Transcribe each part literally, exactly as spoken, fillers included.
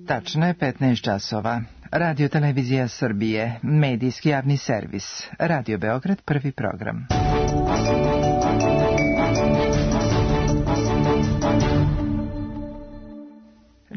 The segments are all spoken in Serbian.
Tačno je petnaest časova. Radio Televizija Srbije, medijski javni servis. Radio Beograd, prvi program.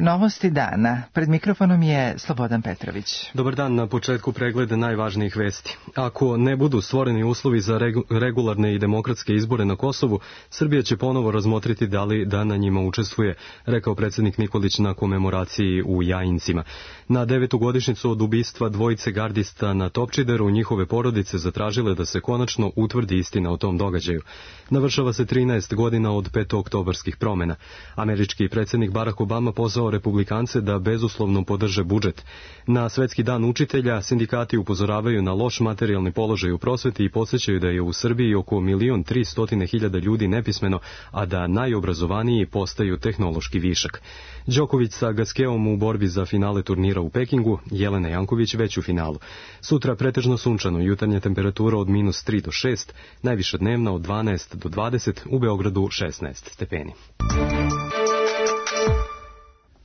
Novosti dana. Pred mikrofonom je Slobodan Petrović. Dobar dan, na početku pregleda najvažnijih vesti. Ako ne budu stvoreni uslovi za regularne i demokratske izbore na Kosovu, Srbija će ponovo razmotriti da li da na njima učestvuje, rekao predsjednik Nikolić na komemoraciji u Jajincima. Na devetu godišnjicu od ubistva dvojice gardista na Topčideru, njihove porodice zatražile da se konačno utvrdi istina o tom događaju. Navršava se trinaest godina od petooktobarskih promjena. Američki predsjednik Barack Obama pozvao republikance da bezuslovno podrže budžet. Na Svetski dan učitelja sindikati upozoravaju na loš materijalni položaj u prosveti i podsjećaju da je u Srbiji oko milion tri stotine hiljada ljudi nepismeno, a da najobrazovaniji postaju tehnološki višak. Đoković sa Gaskeom u borbi za finale turnira u Pekingu, Jelena Janković već u finalu. Sutra pretežno sunčano, jutarnja temperatura od minus tri do šest, najviša dnevna od dvanaest do dvadeset, u Beogradu šesnaest stepeni.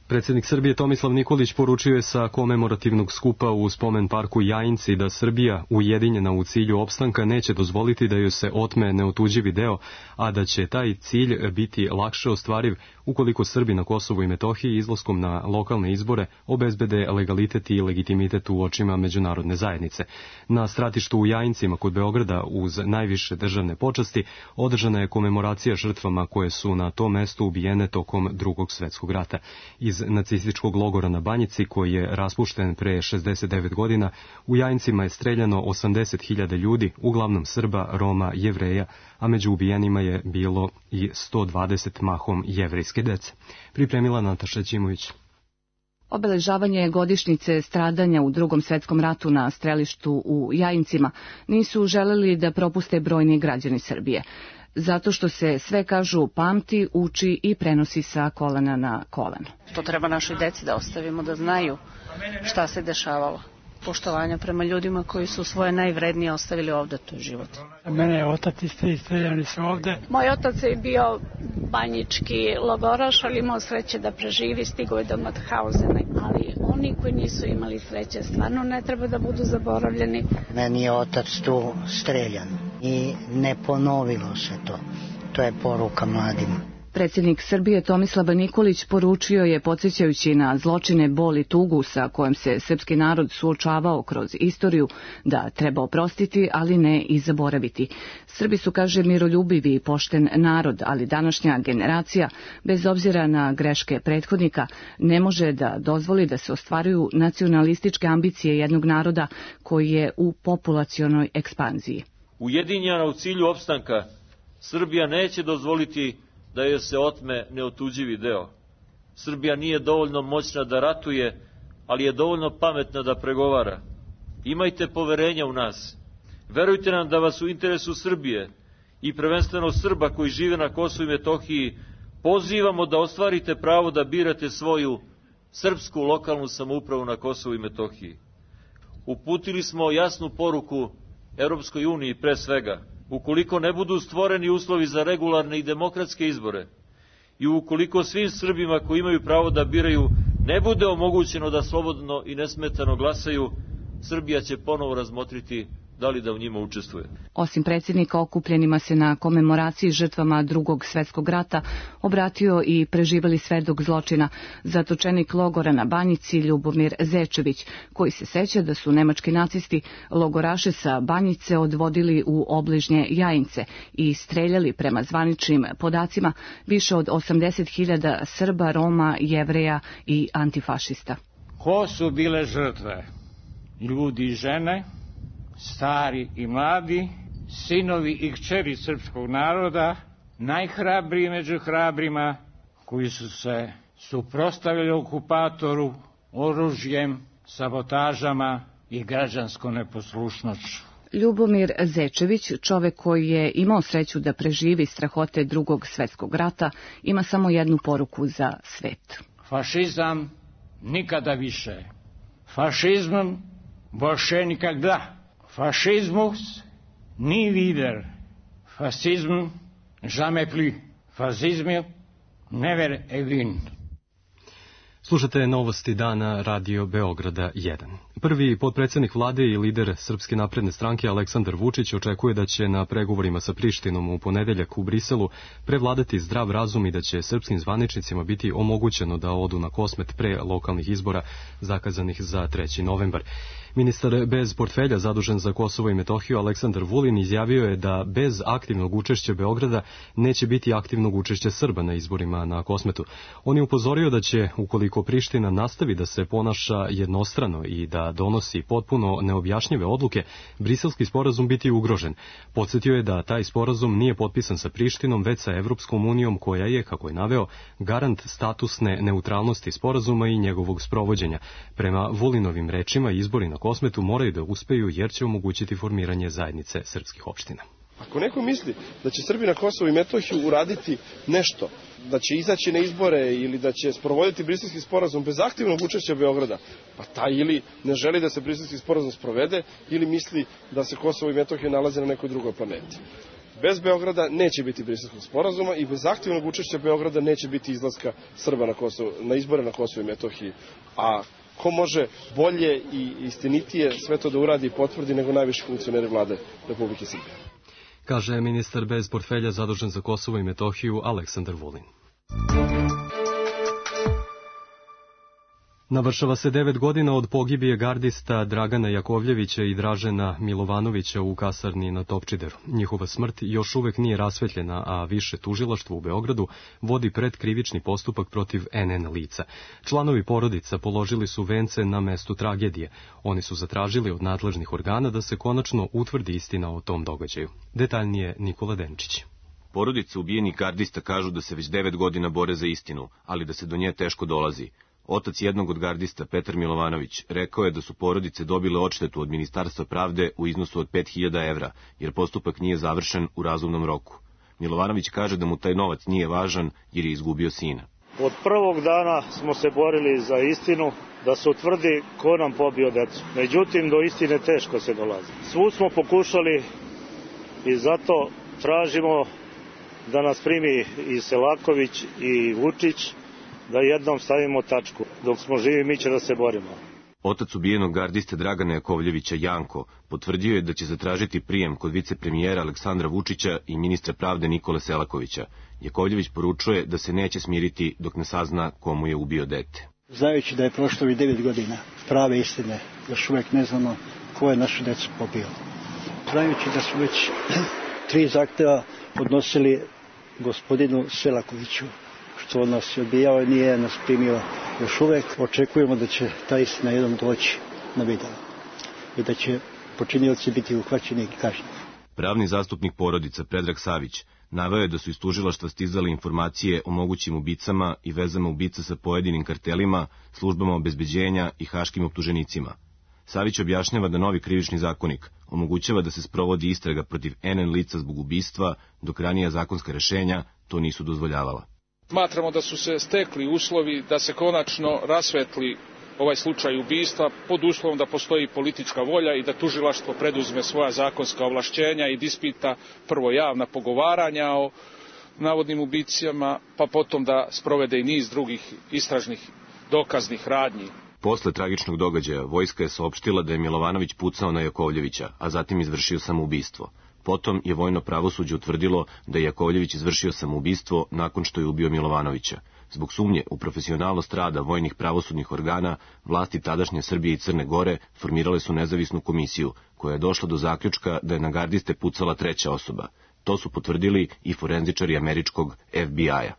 Predsjednik Srbije Tomislav Nikolić poručio je sa komemorativnog skupa u spomen parku Jajinci da Srbija, ujedinjena u cilju opstanka, neće dozvoliti da joj se otme neotuđivi deo, a da će taj cilj biti lakše ostvariv ukoliko Srbi na Kosovu i Metohiji izlaskom na lokalne izbore obezbede legalitet i legitimitet u očima međunarodne zajednice. Na stratištu u Jajincima kod Beograda uz najviše državne počasti održana je komemoracija žrtvama koje su na tom mestu ubijene tokom Drugog svjetskog rata. Iz nacističkog logora na Banjici, koji je raspušten pre šezdeset devet godina, u Jajincima je streljano osamdeset hiljada ljudi, uglavnom Srba, Roma, Jevreja, a među ubijenima je bilo i sto dvadeset mahom jevrejske dece. Pripremila Nataša Ćimović. Obeležavanje godišnjice stradanja u Drugom svjetskom ratu na strelištu u Jajincima nisu želeli da propuste brojni građani Srbije. Zato što se sve, kažu, pamti, uči i prenosi sa kolena na koleno. To treba našoj deci da ostavimo, da znaju šta se dešavalo. Poštovanja prema ljudima koji su svoje najvrednije ostavili ovde, to je život. Mene je otac isti, streljani su ovde. Moj otac je bio banjički logoraš, ali imao sreće da preživi, stigo je do Mauthausena, ali oni koji nisu imali sreće stvarno ne treba da budu zaboravljeni. Meni je otac tu streljan i ne ponovilo se to. To je poruka mladima. Predsjednik Srbije Tomislav Nikolić poručio je, podsjećajući na zločine, bol i tugu sa kojom se srpski narod suočavao kroz istoriju, da treba oprostiti, ali ne i zaboraviti. Srbi su, kaže, miroljubivi i pošten narod, ali današnja generacija, bez obzira na greške prethodnika, ne može da dozvoli da se ostvaruju nacionalističke ambicije jednog naroda koji je u populacionoj ekspanziji. Ujedinjena u cilju opstanka, Srbija neće dozvoliti da joj se otme neotuđivi deo. Srbija nije dovoljno moćna da ratuje, ali je dovoljno pametna da pregovara. Imajte poverenja u nas. Verujte nam da vas u interesu Srbije i prvenstveno Srba koji žive na Kosovu i Metohiji pozivamo da ostvarite pravo da birate svoju srpsku lokalnu samoupravu na Kosovu i Metohiji. Uputili smo jasnu poruku Europskoj uniji pre svega. Ukoliko ne budu stvoreni uslovi za regularne i demokratske izbore i ukoliko svim Srbima koji imaju pravo da biraju ne bude omogućeno da slobodno i nesmetano glasaju, Srbija će ponovo razmotriti da li da u njima učestvuje. Osim predsjednika, okupljenima se na komemoraciji žrtvama Drugog svjetskog rata obratio i preživeli svedok zločina, zatočenik logora na Banjici Ljubomir Zečević, koji se seća da su nemački nacisti logoraše sa Banjice odvodili u obližnje Jajince i streljali, prema zvaničnim podacima, više od osamdeset hiljada Srba, Roma, Jevreja i antifašista. Ko su bile žrtve? Ljudi i žene, stari i mladi, sinovi i kćeri srpskog naroda, najhrabriji među hrabrima, koji su se suprotstavili okupatoru oružjem, sabotažama i građanskom neposlušnošću. Ljubomir Zečević, čovek koji je imao sreću da preživi strahote Drugog svjetskog rata, ima samo jednu poruku za svet. Fašizam nikada više. Fašizmom больше никогда. Fašizmus ni wieder. Fasizm jamais plus. Fasizm never again. Slušate novosti dana Radio Beograda jedan. Prvi potpredsjednik vlade i lider Srpske napredne stranke Aleksandar Vučić očekuje da će na pregovorima sa Prištinom u ponedeljak u Briselu prevladati zdrav razum i da će srpskim zvaničnicima biti omogućeno da odu na Kosmet pre lokalnih izbora zakazanih za treći novembar. Ministar bez portfelja zadužen za Kosovo i Metohiju Aleksandar Vulin izjavio je da bez aktivnog učešća Beograda neće biti aktivnog učešća Srba na izborima na Kosmetu. On je upozorio da će, ukoliko Priština nastavi da se ponaša jednostrano i da donosi potpuno neobjašnjive odluke, briselski sporazum biti ugrožen. Podsjetio je da taj sporazum nije potpisan sa Prištinom, već sa Evropskom unijom koja je, kako je naveo, garant statusne neutralnosti sporazuma i njegovog sprovođenja. Prema Vulinovim rečima, izbori na Kosmetu moraju da uspeju jer će omogućiti formiranje zajednice srpskih opština. Ako neko misli da će Srbi na Kosovo i Metohiju uraditi nešto, da će izaći na izbore ili da će sprovoditi briselski sporazum bez aktivnog učešća Beograda, pa taj ili ne želi da se briselski sporazum sprovede ili misli da se Kosovo i Metohija nalaze na nekoj drugoj planeti. Bez Beograda neće biti briselskog sporazuma i bez aktivnog učešća Beograda neće biti izlaska Srba na, Kosovo, na izbore na Kosovo i Metohiji. A ko može bolje i istinitije sve to da uradi i potvrdi nego najviši funkcioneri vlade Republike Srbije? Kaže ministar bez portfelja zadužen za Kosovo i Metohiju Aleksandar Vulin. Navršava se devet godina od pogibije gardista Dragana Jakovljevića i Dražena Milovanovića u kasarni na Topčideru. Njihova smrt još uvek nije rasvetljena, a više tužilaštvo u Beogradu vodi predkrivični postupak protiv en en lica. Članovi porodica položili su vence na mestu tragedije. Oni su zatražili od nadležnih organa da se konačno utvrdi istina o tom događaju. Detaljnije Nikola Denčić. Porodice ubijenih gardista kažu da se već devet godina bore za istinu, ali da se do nje teško dolazi. Otac jednog od gardista, Petar Milovanović, rekao je da su porodice dobile odštetu od Ministarstva pravde u iznosu od pet hiljada evra, jer postupak nije završen u razumnom roku. Milovanović kaže da mu taj novac nije važan jer je izgubio sina. Od prvog dana smo se borili za istinu, da se utvrdi ko nam pobio decu. Međutim, do istine teško se dolazi. Svu smo pokušali i zato tražimo da nas primi i Selaković i Vučić, da jednom stavimo tačku. Dok smo živi, mi će da se borimo. Otac ubijenog gardiste Dragana Jakovljevića, Janko, potvrdio je da će zatražiti prijem kod vicepremijera Aleksandra Vučića i ministra pravde Nikole Selakovića. Jakovljević poručuje da se neće smiriti dok ne sazna komu je ubio dete. Znajući da je prošlo i devet godina prave istine, još uvek ne znamo ko je našu decu pobio. Znajući da su već tri zahteva podnosili gospodinu Selakoviću, što on nas je odbijao i nije nas primio još uvek. Očekujemo da će ta istina jednom doći na video i da će počinioci biti uhvaćeni i kažnjeni. Pravni zastupnik porodica Predrag Savić naveo je da su iz tužilaštva stizale informacije o mogućim ubicama i vezama ubica sa pojedinim kartelima, službama obezbeđenja i haškim optuženicima. Savić objašnjava da novi krivični zakonik omogućava da se sprovodi istraga protiv en en lica zbog ubistva, dok ranija zakonska rešenja to nisu dozvoljavala. Smatramo da su se stekli uslovi da se konačno rasvetli ovaj slučaj ubistva pod uslovom da postoji politička volja i da tužilaštvo preduzme svoja zakonska ovlašćenja i da ispita prvo javna pogovaranja o navodnim ubicama, pa potom da sprovede i niz drugih istražnih dokaznih radnji. Posle tragičnog događaja vojska je saopštila da je Milovanović pucao na Jakovljevića, a zatim izvršio samoubistvo. Potom je vojno pravosuđe utvrdilo da je Jakovljević izvršio samoubistvo nakon što je ubio Milovanovića. Zbog sumnje u profesionalnost rada vojnih pravosudnih organa, vlasti tadašnje Srbije i Crne Gore formirale su nezavisnu komisiju, koja je došla do zaključka da je na gardiste pucala treća osoba. To su potvrdili i forenzičari američkog ef bi aj-a.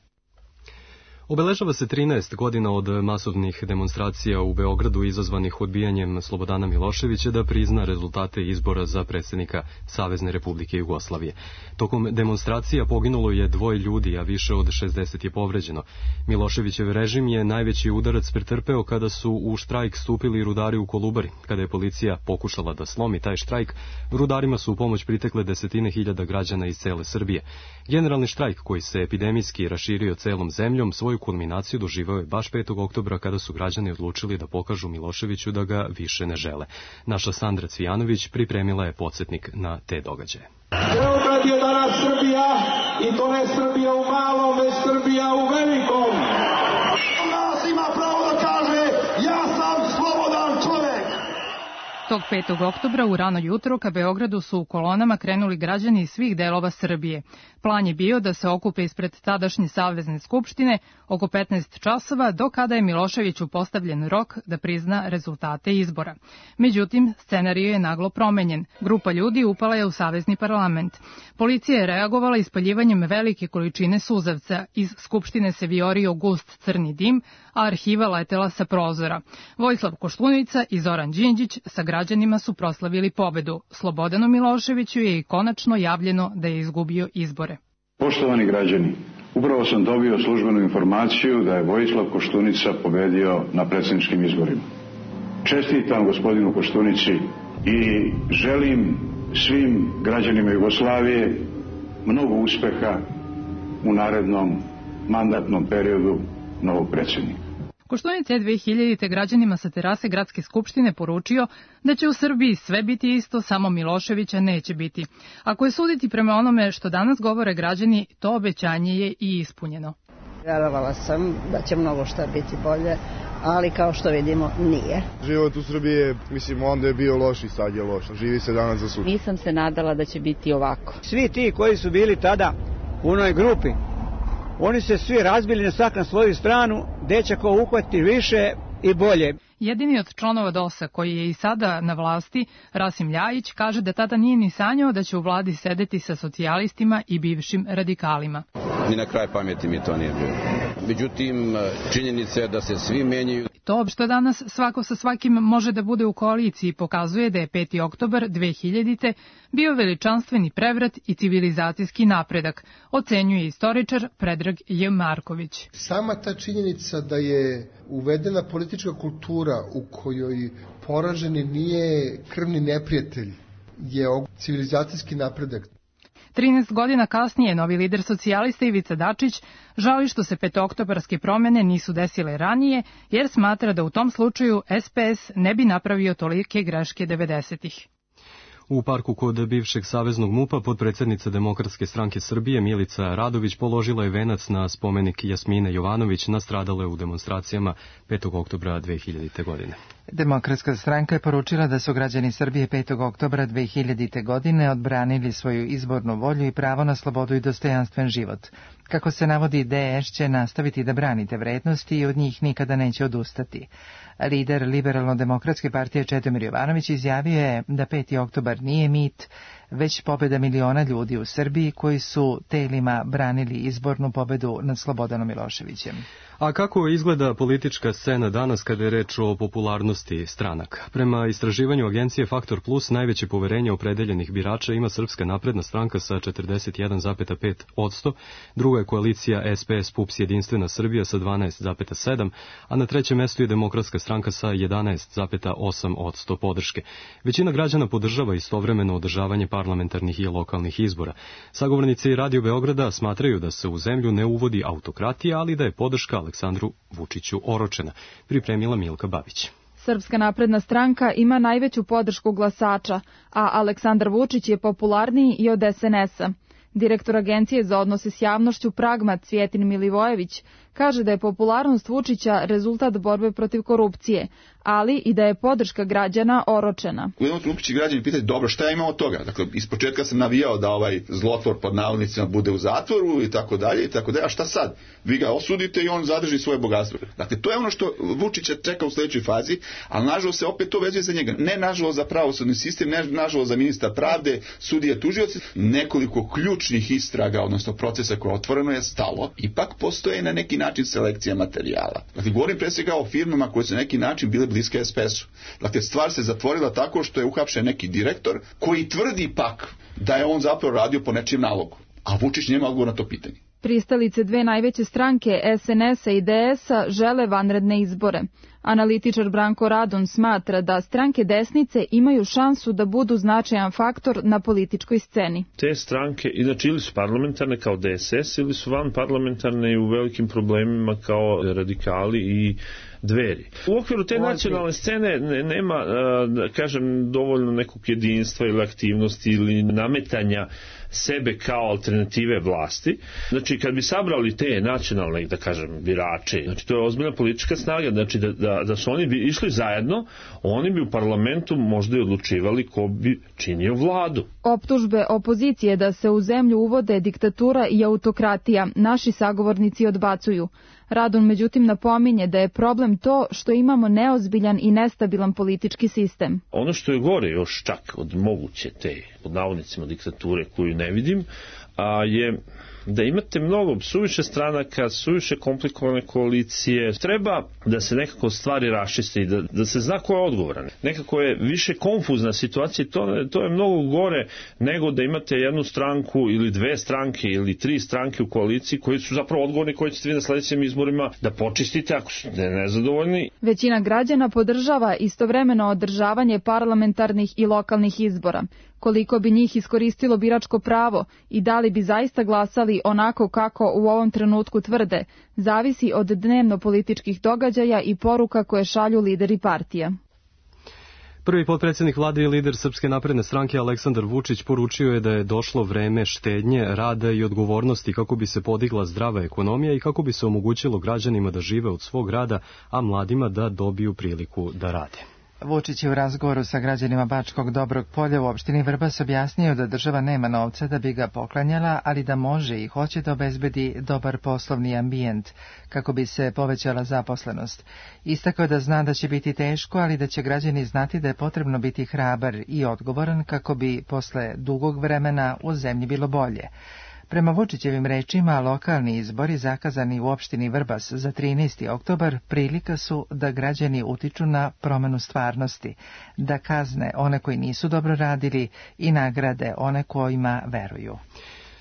Obeležava se trinaest godina od masovnih demonstracija u Beogradu izazvanih odbijanjem Slobodana Miloševića da prizna rezultate izbora za predsjednika Savezne Republike Jugoslavije. Tokom demonstracija poginulo je dvoje ljudi, a više od šezdeset je povređeno. Miloševićev režim je najveći udarac pretrpeo kada su u štrajk stupili rudari u Kolubari. Kada je policija pokušala da slomi taj štrajk, rudarima su u pomoć pritekle desetine hiljada građana iz cele Srbije. Generalni štrajk, koji se epidemijski raširio celom zemljom, svoju kulminaciju doživao je baš petog oktobra kada su građani odlučili da pokažu Miloševiću da ga više ne žele. Naša Sandra Cvijanović pripremila je podsjetnik na te događaje. Beograd je danas Srbija i to ne Srbija u malom, već Srbija u velikom. Nas ima pravo da Tog petog oktobra u rano jutro ka Beogradu su u kolonama krenuli građani iz svih delova Srbije. Plan je bio da se okupe ispred tadašnje Savezne skupštine oko petnaest časova, do kada je Miloševiću postavljen rok da prizna rezultate izbora. Međutim, scenarij je naglo promenjen. Grupa ljudi upala je u Savezni parlament. Policija je reagovala ispaljivanjem velike količine suzavca. Iz skupštine se viorio gust crni dim, a arhiva letela sa prozora. Vojislav Koštunica i Zoran Đinđić sa građanima su proslavili pobedu. Slobodanu Miloševiću je i konačno javljeno da je izgubio izbore. Poštovani građani, upravo sam dobio službenu informaciju da je Vojislav Koštunica pobedio na predsjedničkim izborima. Čestitam gospodinu Koštunici i želim svim građanima Jugoslavije mnogo uspeha u narednom mandatnom periodu novog predsjednika. Koštunica je dve hiljadite građanima sa terase Gradske skupštine poručio da će u Srbiji sve biti isto, samo Miloševića neće biti. Ako je suditi prema onome što danas govore građani, to obećanje je i ispunjeno. Vjerovala sam da će mnogo šta biti bolje, ali kao što vidimo nije. Život u Srbiji je, mislim, onda je bio loš i sad je loš. Živi se danas za sutra. Nisam se nadala da će biti ovako. Svi ti koji su bili tada u onoj grupi, oni se svi razbili na svak na svoju stranu, gde će ko uhvati više i bolje. Jedini od članova D O S-a koji je i sada na vlasti, Rasim Ljajić, kaže da tada nije ni sanjao da će u vladi sedeti sa socijalistima i bivšim radikalima. Ni na kraj pameti mi to nije bilo. Međutim, činjenica je da se svi menjaju. To što danas svako sa svakim može da bude u koaliciji pokazuje da je peti oktobar dve hiljadite bio veličanstveni prevrat i civilizacijski napredak, ocenjuje istoričar Predrag J. Marković. Sama ta činjenica da je uvedena politička kultura u kojoj poraženi nije krvni neprijatelj je civilizacijski napredak. trinaest godina kasnije novi lider socijalista Ivica Dačić žali što se petooktobarske promene nisu desile ranije, jer smatra da u tom slučaju S P S ne bi napravio tolike greške devedesetih. U parku kod bivšeg saveznog MUP-a potpredsjednica Demokratske stranke Srbije Milica Radović položila je venac na spomenik Jasmine Jovanović nastradale u demonstracijama petog oktobra dve hiljadite. godine. Demokratska stranka je poručila da su građani Srbije petog oktobra dve hiljadite. godine odbranili svoju izbornu volju i pravo na slobodu i dostojanstven život. Kako se navodi, D S će nastaviti da brani te vrednosti i od njih nikada neće odustati. Lider Liberalno-demokratske partije Čedomir Jovanović izjavio je da peti oktobar nije mit, već pobjeda miliona ljudi u Srbiji koji su telima branili izbornu pobedu nad Slobodanom Miloševićem. A kako izgleda politička scena danas kada je reč o popularnosti stranaka? Prema istraživanju agencije Faktor Plus, najveće poverenje opredeljenih birača ima Srpska napredna stranka sa četrdeset jedan zarez pet posto, druga je koalicija S P S P U P S Jedinstvena Srbija sa dvanaest zarez sedam, a na trećem mestu je Demokratska stranka sa jedanaest zarez osam posto podrške. Većina građana podržava istovremeno održavanje parlamentarnih i lokalnih izbora. Sagovornici Radio Beograda smatraju da se u zemlju ne uvodi autokratija, ali da je podrška Aleksandru Vučiću oročena, pripremila Milka Babić. Srpska napredna stranka ima najveću podršku glasača, a Aleksandar Vučić je popularniji i od S N S-a. Direktor Agencije za odnose s javnošću Pragma Cvjetin Milivojević kaže da je popularnost Vučića rezultat borbe protiv korupcije, ali i da je podrška građana oročena. U jednom trenutku će građani pitati, dobro, šta ima od toga? Dakle, ispočetka sam navijao da ovaj zlotvor pod navodnicima bude u zatvoru i tako dalje i tako dalje, a šta sad? Vi ga osudite i on zadrži svoje bogatstvo. Dakle, to je ono što Vučića čeka u sljedećoj fazi, ali nažalost se opet to vezuje za njega. Ne nažalost za pravosudni sistem, ne nažalost za ministra pravde, sudije, tužioci. Nekoliko ključnih istraga, odnosno procesa koje otvoreno je stalo, ipak postoje na neki način selekcija materijala. Dakle, govorim pre svega o firmama koje su na neki način bile bliske S P S-u. Dakle, stvar se zatvorila tako što je uhapšen neki direktor koji tvrdi pak da je on zapravo radio po nečijem nalogu. A Vučić nema odgovor na to pitanje. Pristalice dve najveće stranke S N S-a i D S-a žele vanredne izbore. Analitičar Branko Radon smatra da stranke desnice imaju šansu da budu značajan faktor na političkoj sceni. Te stranke inače ili su parlamentarne kao D S S ili su van parlamentarne i u velikim problemima kao radikali i Dveri. U okviru te nacionalne scene nema, da kažem, dovoljno nekog jedinstva ili aktivnosti ili nametanja sebe kao alternative vlasti. Znači, kad bi sabrali te nacionalne, da kažem, birače, znači to je ozbiljna politička snaga, znači da, da, da su oni bi išli zajedno, oni bi u parlamentu možda i odlučivali ko bi činio vladu. Optužbe opozicije da se u zemlju uvode diktatura i autokratija naši sagovornici odbacuju. Radon međutim napominje da je problem to što imamo neozbiljan i nestabilan politički sistem. Ono što je gore još čak od moguće te, pod navodnicima, diktature koju ne vidim, a je da imate mnogo suviše stranaka, suviše komplikovane koalicije. Treba da se nekako stvari raščiste i da, da se zna ko je odgovoran. Nekako je više konfuzna situacija i to, to je mnogo gore nego da imate jednu stranku ili dve stranke ili tri stranke u koaliciji koji su zapravo odgovorni, koji ćete vi na sledećim izborima da počistite ako su nezadovoljni. Većina građana podržava istovremeno održavanje parlamentarnih i lokalnih izbora. Koliko bi njih iskoristilo biračko pravo i da li bi zaista glasali onako kako u ovom trenutku tvrde, zavisi od dnevno političkih događaja i poruka koje šalju lideri partija. Prvi potpredsjednik vlade i lider Srpske napredne stranke Aleksandar Vučić poručio je da je došlo vreme štednje, rada i odgovornosti kako bi se podigla zdrava ekonomija i kako bi se omogućilo građanima da žive od svog rada, a mladima da dobiju priliku da rade. Vučić je u razgovoru sa građanima Bačkog Dobrog Polja u opštini Vrbas objasnio da država nema novca da bi ga poklanjala, ali da može i hoće da obezbedi dobar poslovni ambijent kako bi se povećala zaposlenost. Istakao da zna da će biti teško, ali da će građani znati da je potrebno biti hrabar i odgovoran kako bi posle dugog vremena u zemlji bilo bolje. Prema Vučićevim rečima, lokalni izbori zakazani u opštini Vrbas za trinaesti oktobar prilika su da građani utiču na promenu stvarnosti, da kazne one koji nisu dobro radili i nagrade one kojima veruju.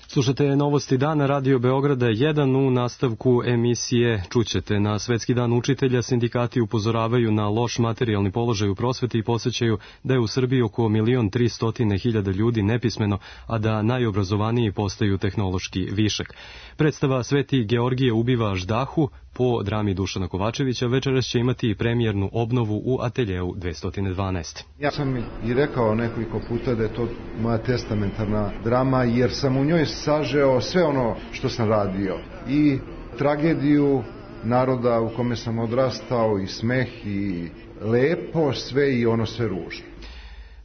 Slušate novosti dana Radio Beograda jedan. U nastavku emisije čućete. Na Svetski dan učitelja sindikati upozoravaju na loš materijalni položaj u prosveti i podsjećaju da je u Srbiji oko milion tristotine hiljada ljudi nepismeno, a da najobrazovaniji postaju tehnološki višak. Predstava Sveti Georgije ubiva ždahu po drami Dušana Kovačevića večeras će imati premijernu obnovu u ateljeu dvesta dvanaest. Ja sam i rekao nekoliko puta da je to moja testamentarna drama, jer sam u njoj sažeo sve ono što sam radio. I tragediju naroda u kome sam odrastao, i smeh, i lepo, sve i ono sve ružno.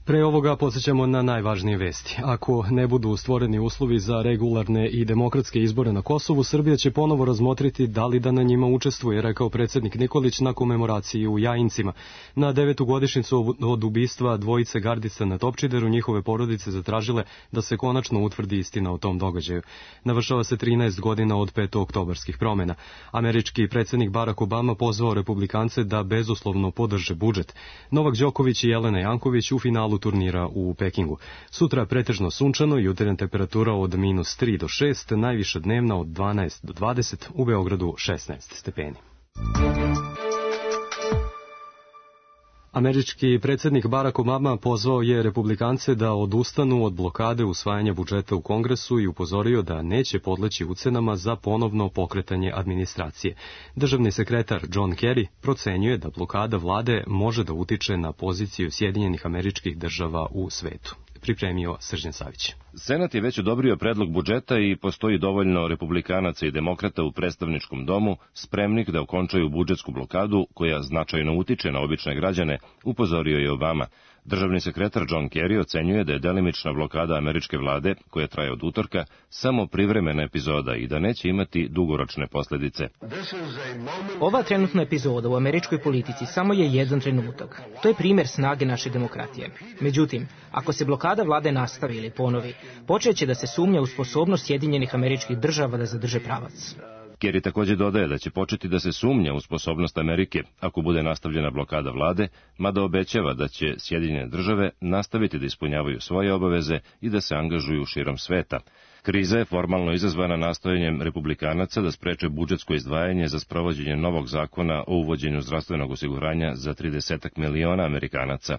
Pre ovoga podsjećamo na najvažnije vesti. Ako ne budu stvoreni uslovi za regularne i demokratske izbore na Kosovu, Srbija će ponovo razmotriti da li da na njima učestvuje, rekao predsjednik Nikolić na komemoraciji u Jajincima. Na devetu godišnjicu od ubistva dvojice gardica na Topčideru njihove porodice zatražile da se konačno utvrdi istina o tom događaju. Navršava se trinaest godina od petooktobarskih promjena. Američki predsjednik Barack Obama pozvao republikance da bezuslovno podrže budžet. Novak Đoković i Jelena Janković u finalu turnira u Pekingu. Sutra pretežno sunčano, jutarnja temperatura od minus tri do šest, najviša dnevna od dvanaest do dvadeset, u Beogradu šesnaest stepeni. Američki predsjednik Barack Obama pozvao je republikance da odustanu od blokade usvajanja budžeta u Kongresu i upozorio da neće podleći ucenama za ponovno pokretanje administracije. Državni sekretar John Kerry procenjuje da blokada vlade može da utiče na poziciju Sjedinjenih Američkih Država u svetu. Pripremio Srđan Savić. Senat je već odobrio predlog budžeta i postoji dovoljno republikanaca i demokrata u predstavničkom domu spremnih da okončaju budžetsku blokadu koja značajno utiče na obične građane, upozorio je Obama. Državni sekretar John Kerry ocenjuje da je delimična blokada američke vlade, koja traje od utorka, samo privremena epizoda i da neće imati dugoročne posljedice. Ova trenutna epizoda u američkoj politici samo je jedan trenutak. To je primjer snage naše demokratije. Međutim, ako se blokada vlade nastavi ili ponovi, počeće da se sumnja u sposobnost Sjedinjenih Američkih Država da zadrže pravac. Kerry također dodaje da će početi da se sumnja u sposobnost Amerike ako bude nastavljena blokada vlade, mada obećava da će Sjedinjene Države nastaviti da ispunjavaju svoje obaveze i da se angažuju širom sveta. Kriza je formalno izazvana nastojanjem republikanaca da spreče budžetsko izdvajanje za sprovođenje novog zakona o uvođenju zdravstvenog osiguranja za trideset miliona Amerikanaca.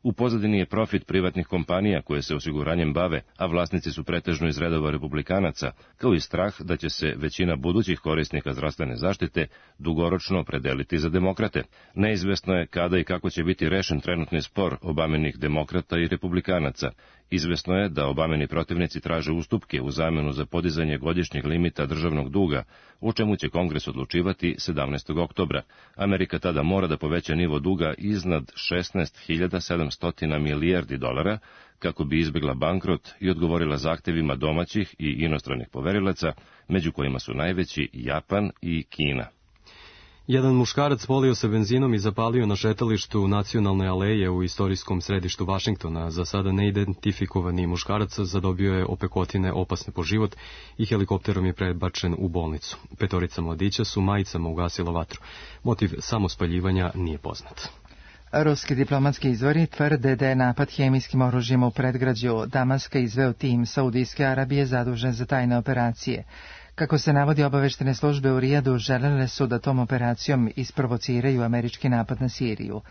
U pozadini je profit privatnih kompanija koje se osiguranjem bave, a vlasnici su pretežno iz redova republikanaca, kao i strah da će se većina budućih korisnika zdravstvene zaštite dugoročno opredeliti za demokrate. Neizvesno je kada i kako će biti rešen trenutni spor Obamenih demokrata i republikanaca. Izvesno je da Obameni protivnici traže ustupke u zamenu za podizanje godišnjeg limita državnog duga, o čemu će Kongres odlučivati sedamnaestog oktobra. Amerika tada mora da poveća nivo duga iznad šesnaest hiljada sedamsto milijardi dolara, kako bi izbjegla bankrot i odgovorila zahtevima domaćih i inostranih poverilaca, među kojima su najveći Japan i Kina. Jedan muškarac polio se benzinom i zapalio na šetalištu Nacionalne aleje u istorijskom središtu Vašingtona. Za sada neidentifikovani muškarac zadobio je opekotine opasne po život i helikopterom je prebačen u bolnicu. Petorica mladića su majicama ugasila vatru. Motiv samospaljivanja nije poznat. Ruski diplomatski izvori tvrde da je napad hemijskim oružjem u predgrađu Damaska izveo tim Saudijske Arabije zadužen za tajne operacije. Kako se navodi, obaveštene službe u Rijadu želele su da tom operacijom isprovociraju američki napad na Siriju.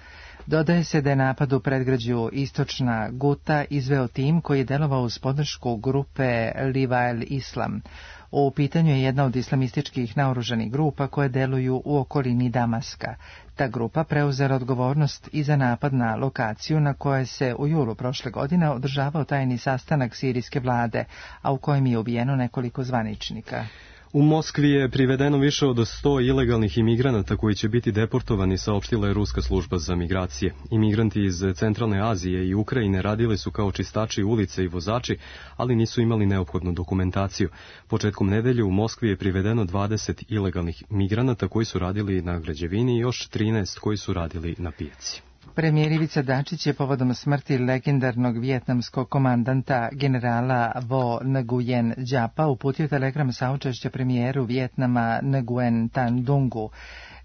Dodaje se da je napad u predgrađu Istočna Guta izveo tim koji je delovao uz podršku grupe Livael Islam. U pitanju je jedna od islamističkih naoružanih grupa koje deluju u okolini Damaska. Ta grupa preuzela odgovornost i za napad na lokaciju na kojoj se u julu prošle godine održavao tajni sastanak sirijske vlade, a u kojem je ubijeno nekoliko zvaničnika. U Moskvi je privedeno više od sto ilegalnih imigranata koji će biti deportovani, saopštila je Ruska služba za migracije. Imigranti iz Centralne Azije i Ukrajine radili su kao čistači ulice i vozači, ali nisu imali neophodnu dokumentaciju. Početkom nedelje u Moskvi je privedeno dvadeset ilegalnih migranata koji su radili na građevini i još trinaest koji su radili na pijaci. Premijer Ivica Dačić je povodom smrti legendarnog vijetnamskog komandanta generala Vo Nguyen Giapa uputio telegram saučešća premijeru Vijetnama Nguyen Tan Dungu.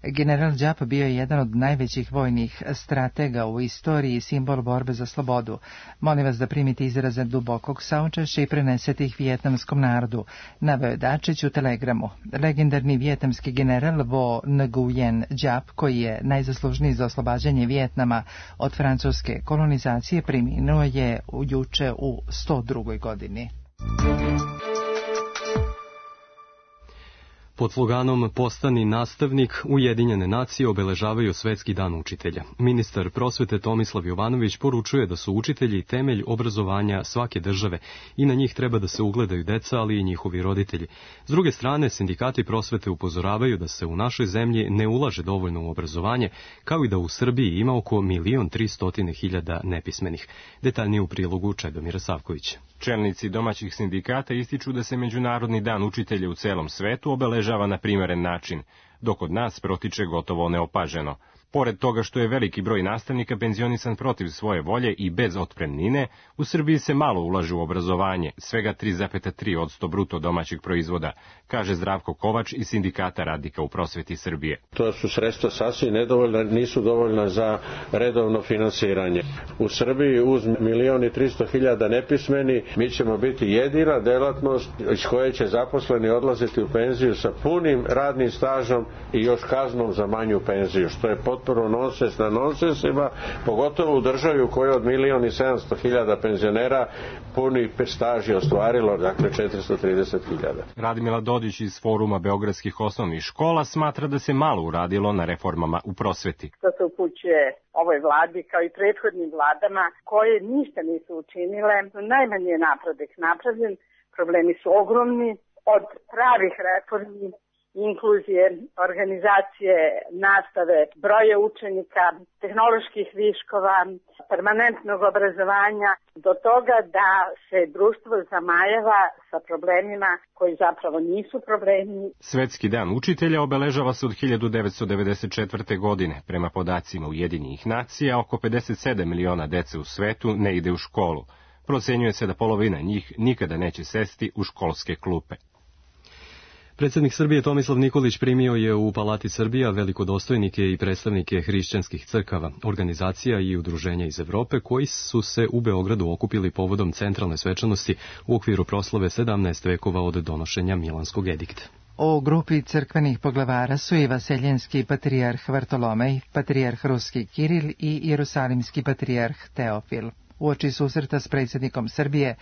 General Giap bio je jedan od najvećih vojnih stratega u istoriji i simbol borbe za slobodu. Molim vas da primite izraze dubokog saučešća i prenesete ih vijetnamskom narodu, naveo je Dačić u telegramu. Legendarni vijetnamski general Vo Nguyen Giap, koji je najzaslužniji za oslobađanje Vijetnama od francuske kolonizacije, preminuo je juče u sto drugoj godini. Pod sloganom Postani nastavnik, Ujedinjene nacije obeležavaju Svetski dan učitelja. Ministar prosvete Tomislav Jovanović poručuje da su učitelji temelj obrazovanja svake države i na njih treba da se ugledaju deca, ali i njihovi roditelji. S druge strane, sindikati prosvete upozoravaju da se u našoj zemlji ne ulaže dovoljno u obrazovanje, kao i da u Srbiji ima oko milion tristotine hiljada nepismenih. Detaljnije u prilogu Čedomira Savkovića. Čelnici domaćih sindikata ističu da se Međunarodni dan učitelja u celom svetu obeležava na primeren način, dok kod nas protiče gotovo neopaženo. Pored toga što je veliki broj nastavnika penzionisan protiv svoje volje i bez otpremnine, u Srbiji se malo ulaže u obrazovanje, svega tri zarez tri posto bruto domaćeg proizvoda, kaže Zdravko Kovač iz Sindikata radnika u prosveti Srbije. To su sredstva sasvim nedovoljna, nisu dovoljna za redovno finansiranje. U Srbiji uz milion i tristo hiljada nepismeni mi ćemo biti jedina delatnost iz koje će zaposleni odlaziti u penziju sa punim radnim stažom i još kaznom za manju penziju, što je potpuno nonsens na nonsensima, pogotovo u državi u kojoj od milion i sedamsto hiljada penzionera puni staž je ostvarilo, dakle četiristo trideset hiljada. Radmila Dodić iz Foruma beogradskih osnovnih škola smatra da se malo uradilo na reformama u prosveti. To se upućuje ovoj vladi kao i prethodnim vladama koje ništa nisu učinile. Najmanji je napredak napravljen, problemi su ogromni, od pravih reformi, inkluzije, organizacije, nastave, broje učenika, tehnoloških viškova, permanentnog obrazovanja, do toga da se društvo zamajava sa problemima koji zapravo nisu problemi. Svetski dan učitelja obeležava se od hiljadu devetsto devedeset četvrte. godine. Prema podacima Ujedinjenih nacija, oko pedeset sedam miliona dece u svetu ne ide u školu. Procenjuje se da polovina njih nikada neće sesti u školske klupe. Predsjednik Srbije Tomislav Nikolić primio je u Palati Srbija velikodostojnike i predstavnike hrišćanskih crkava, organizacija i udruženja iz Evrope koji su se u Beogradu okupili povodom centralne svečanosti u okviru proslave sedamnaest vekova od donošenja Milanskog edikta. O grupi crkvenih poglavara su i vaseljenski patrijarh Vartolomej, patrijarh ruski Kiril i jerusalimski patrijarh Teofil. Uoči susreta s predsjednikom Srbije,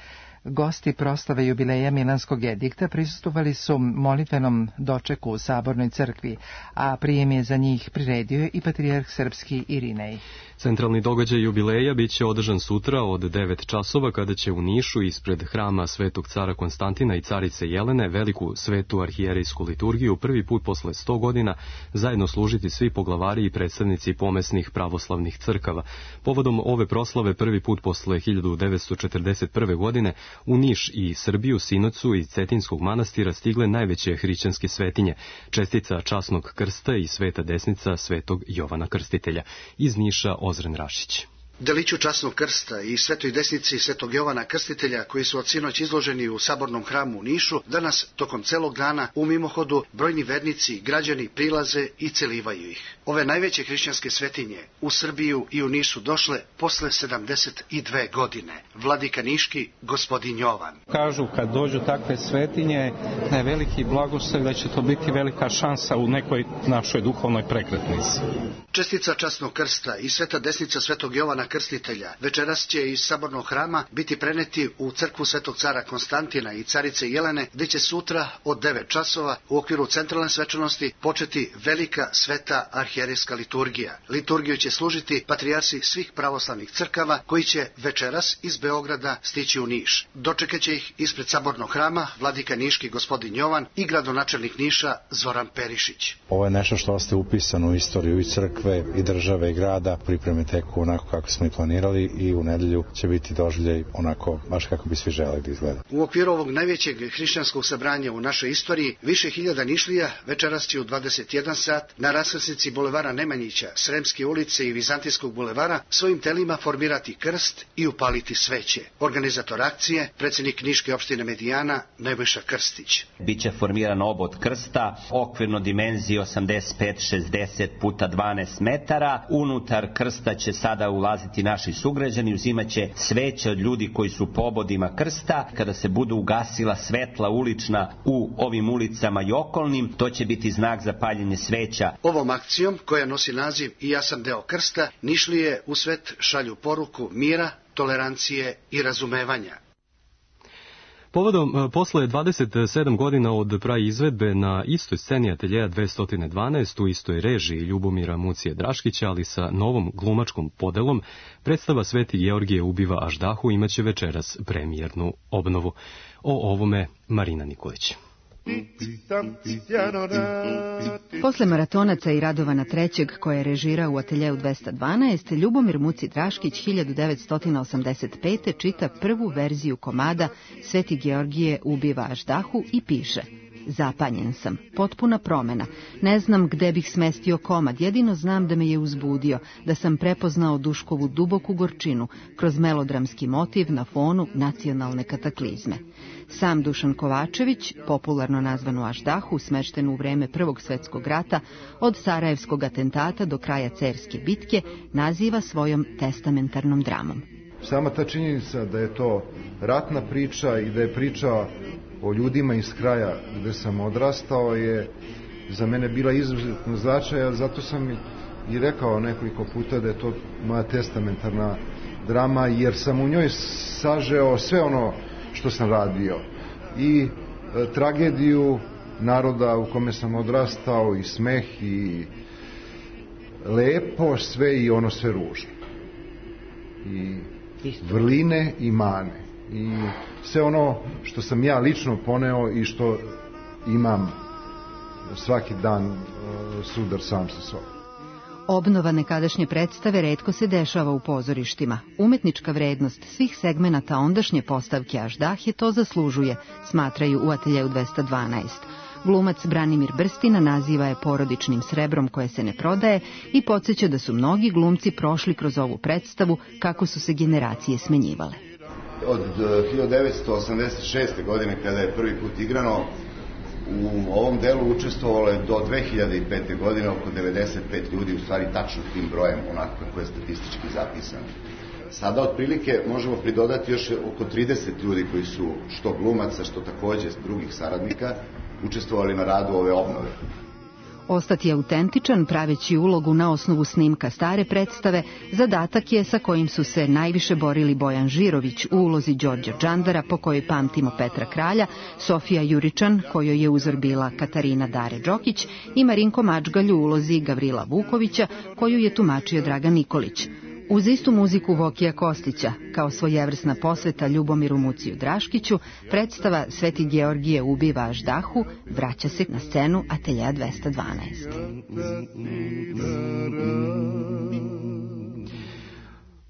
gosti proslave jubileja Milanskog edikta prisustvovali su molitvenom dočeku u Sabornoj crkvi, a prijem je za njih priredio i patrijarh srpski Irinej. Centralni događaj jubileja biće održan sutra od devet časova kada će u Nišu ispred hrama Svetog cara Konstantina i carice Jelene veliku svetu arhijerejsku liturgiju prvi put posle sto godina zajedno služiti svi poglavari i predstavnici pomesnih pravoslavnih crkava. Povodom ove proslave prvi put posle hiljadu devetsto četrdeset prve. godine u Niš i Srbiju, Sinocu i Cetinskog manastira stigle najveće hrišćanske svetinje, čestica časnog krsta i sveta desnica Svetog Jovana Krstitelja. Iz Niša Ozren Rašić. Deliću časnog krsta i svetoj desnici Svetog Jovana Krstitelja, koji su od sinoć izloženi u Sabornom hramu u Nišu, danas tokom celog dana u mimohodu brojni vernici i građani prilaze i celivaju ih. Ove najveće hrišćanske svetinje u Srbiju i u Niš su došle posle sedamdeset dve godine. Vladika Niški, gospodin Jovan. Kažu kad dođu takve svetinje da je veliki blagoslov, da će to biti velika šansa u nekoj našoj duhovnoj prekretnici. Čestica časnog krsta i sveta desnica Svetog Jovana Krstitelja večeras će iz Sabornog hrama biti preneti u crkvu Svetog cara Konstantina i carice Jelene, gde će sutra od devet časova u okviru centralne svečanosti početi velika sveta arhijerejska liturgija. Liturgiju će služiti patrijarsi svih pravoslavnih crkava koji će večeras iz Beograda stići u Niš. Dočekaće ih ispred Sabornog hrama vladika Niški gospodin Jovan i gradonačelnik Niša Zoran Perišić. Ovo je nešto što ste upisano u istoriju i crkve i države i grada. Pripreme teku onako kako smo i planirali i u nedelju će biti doživljaj onako baš kako bi svi želeli da izgleda. U okviru ovog najvećeg hrišćanskog sabranja u našoj istoriji više hiljada Nišlija večeras će u dvadeset jedan sat na raskrsnici bulevara Nemanjića, Sremske ulice i Vizantijskog bulevara svojim telima formirati krst i upaliti sveće. Organizator akcije, predsjednik Niške opštine Medijana Nebojša Krstić. Biće formiran obod krsta, okvirno dimenzije osamdeset pet šezdeset puta dvanaest metara. Unutar krsta će sada ulaziti naši sugrađani, uzimaće sveće od ljudi koji su po obodima krsta. Kada se budu ugasila svetla ulična u ovim ulicama i okolnim, to će biti znak za paljenje sveća. Ovom akcijom, koja nosi naziv I ja sam deo krsta, Nišlije u svet šalju poruku mira, tolerancije i razumevanja. Povodom, posle dvadeset sedam godina od praizvedbe na istoj sceni ateljeja dvesta dvanaest u istoj režiji Ljubomira Mucije Draškića, ali sa novom glumačkom podelom, predstava Sveti Georgije ubiva Aždahu imaće večeras premijernu obnovu. O ovome Marina Nikolić. Posle maratonaca i Radovana trećeg koje je režirao u ateljeu dvesta dvanaest, Ljubomir Muci Draškić hiljadu devetsto osamdeset pete. čita prvu verziju komada Sveti Georgije ubiva Aždahu i piše: Zapanjen sam, potpuna promena. Ne znam gde bih smestio komad, jedino znam da me je uzbudio, da sam prepoznao Duškovu duboku gorčinu kroz melodramski motiv na fonu nacionalne kataklizme. Sam Dušan Kovačević, popularno nazvan u Aždahu, smešten u vreme Prvog svetskog rata, od Sarajevskog atentata do kraja Cerske bitke, naziva svojom testamentarnom dramom. Sama ta činjenica da je to ratna priča i da je priča o ljudima iz kraja gde sam odrastao je za mene bila izuzetno značaja, zato sam i rekao nekoliko puta da je to moja testamentarna drama, jer sam u njoj sažeo sve ono što sam radio i e, tragediju naroda u kome sam odrastao i smeh i lepo sve i ono sve ružno i vrline i mane i sve ono što sam ja lično poneo i što imam svaki dan e, sudar sam sa sobom. Obnova nekadašnje predstave retko se dešava u pozorištima. Umetnička vrednost svih segmenata ondašnje postavke Aždahe to zaslužuje, smatraju u ateljeju dvesta dvanaest. Glumac Branimir Brstina naziva je porodičnim srebrom koje se ne prodaje i podsjeća da su mnogi glumci prošli kroz ovu predstavu kako su se generacije smenjivale. Od hiljadu devetsto osamdeset šeste. godine kada je prvi put igrano, u ovom delu učestvovalo je do dve hiljade pete. godine oko devedeset pet ljudi, u stvari tačno tim brojem, onako kako je statistički zapisano. Sada otprilike možemo pridodati još oko trideset ljudi koji su što glumaca, što takođe drugih saradnika učestvovali na radu ove obnove. Ostati autentičan, praveći ulogu na osnovu snimka stare predstave, zadatak je sa kojim su se najviše borili Bojan Žirović u ulozi Đorđa Džandara, po kojoj pamtimo Petra Kralja, Sofija Juričan, kojoj je uzor bila Katarina Dare Đokić, i Marinko Mačgalj u ulozi Gavrila Vukovića, koju je tumačio Dragan Nikolić. Uz istu muziku Vokija Kostića, kao svojevrsna posveta Ljubomiru Muciju Draškiću, predstava Sveti Georgije ubiva Aždahu vraća se na scenu Ateljea dvesta dvanaest.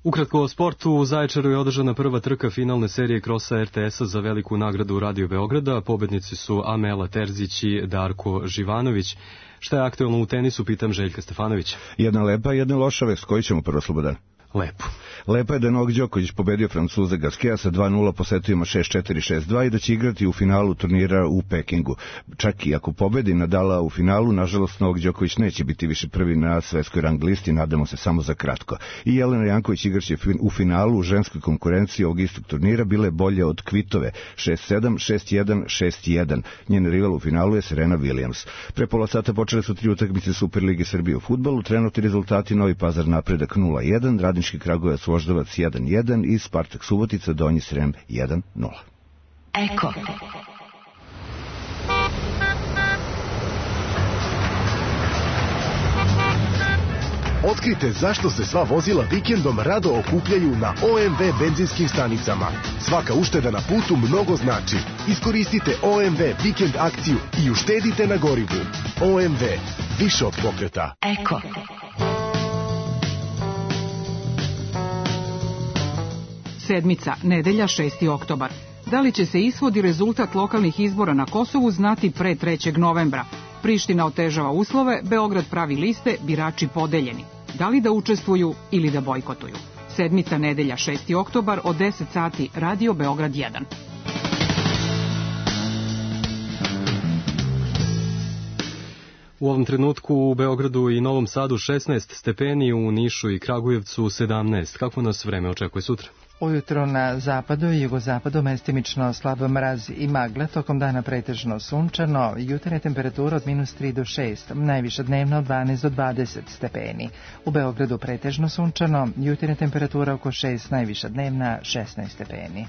Ukratko o sportu, u Zaječaru je održana prva trka finalne serije krosa er te esa za veliku nagradu Radio Beograda. Pobednici su Amela Terzić i Darko Živanović. Šta je aktuelno u tenisu, pitam Željka Stefanovića. Jedna lepa, jedna loša vest. Koji ćemo prvo, Slobodan? Lepo. Lepo je da je Novak Đoković pobedio Francuza Gasqueta sa dva nula po setovima šest četiri šest dva i da će igrati u finalu turnira u Pekingu. Čak i ako pobedi Nadala u finalu, nažalost Novak Đoković neće biti više prvi na svetskoj rang listi, nadamo se samo za kratko. I Jelena Janković igraće u finalu u ženskoj konkurenciji ovog istog turnira, bile bolje od Kvitove šest sedam, šest jedan, šest jedan. Njen rival u finalu je Serena Williams. Pre pola sata počele su tri utakmice Superlige Srbije u fudbalu, trenutni rezultati: Novi Pazar Napredak nula jedan, Radnički Kragujevac Voždovac jedan jedan i Spartak Subotica Donji Srem jedan nula. Eko. Otkrite zašto se sva vozila vikendom rado okupljaju na o em ve benzinskim stanicama. Svaka ušteda na putu mnogo znači. Iskoristite o em ve vikend akciju i uštedite na gorivu. o em ve, više od pokreta. Eko. Sedmica, nedelja, šesti oktobar. Da li će se ishod i rezultat lokalnih izbora na Kosovu znati pre trećeg novembra? Priština otežava uslove, Beograd pravi liste, birači podeljeni. Da li da učestvuju ili da bojkotuju? Sedmica, nedelja, šesti oktobar, od deset sati, Radio Beograd jedan. U ovom trenutku u Beogradu i Novom Sadu šesnaest stepeni, u Nišu i Kragujevcu sedamnaest. Kako nas vreme očekuje sutra? Ujutro na zapadu i jugozapadu mestimično slab mraz i magla, tokom dana pretežno sunčano, jutarnja temperatura od minus tri do šest, najviša dnevna od dvanaest do dvadeset stepeni. U Beogradu pretežno sunčano, jutarnja temperatura oko šest, najviša dnevna šesnaest stepeni.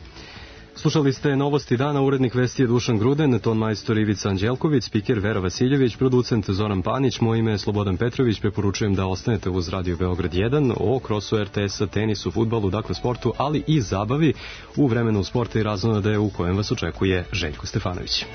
Slušali ste Novosti dana, urednik vesti je Dušan Gruden, ton majstor Ivica Anđelković, spiker Vera Vasiljević, producent Zoran Panić, moje ime je Slobodan Petrović. Preporučujem da ostanete uz Radio Beograd jedan o krosu er te esa, tenisu, fudbalu, dakle sportu, ali i zabavi u vremenu sporta i razonode u kojem vas očekuje Željko Stefanović.